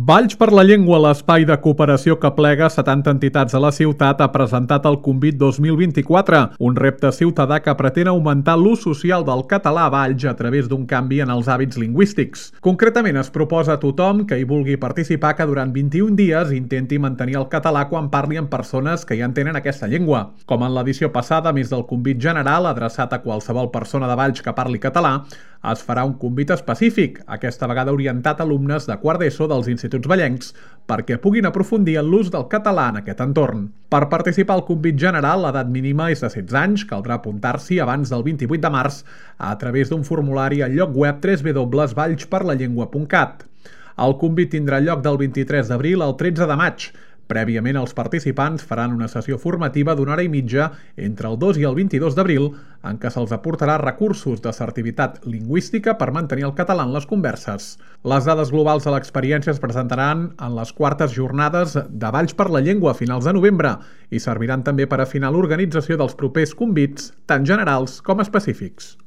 Valls per la Llengua, l'espai de cooperació que plega 70 entitats a la ciutat, ha presentat el Convit 2024, un repte ciutadà que pretén augmentar l'ús social del català a Valls a través d'un canvi en els hàbits lingüístics. Concretament, es proposa a tothom que hi vulgui participar que durant 21 dies intenti mantenir el català quan parli amb persones que ja entenen aquesta llengua. Com en l'edició passada, a més del Convit general adreçat a qualsevol persona de Valls que parli català, es farà un convit específic, aquesta vegada orientat a alumnes de quart d'ESO dels instituts vallencs, perquè puguin aprofundir en l'ús del català en aquest entorn. Per participar al convit general, l'edat mínima és de 16 anys, caldrà apuntar-s'hi abans del 28 de març a través d'un formulari al lloc web www.vallsperlallengua.cat. El convit tindrà lloc del 23 d'abril al 13 de maig. Prèviament, els participants faran una sessió formativa d'una hora i mitja entre el 2 i el 22 d'abril en què se'ls aportarà recursos d'assertivitat lingüística per mantenir el català en les converses. Les dades globals de l'experiència es presentaran en les quartes jornades de Valls per la Llengua a finals de novembre i serviran també per afinar l'organització dels propers convits, tant generals com específics.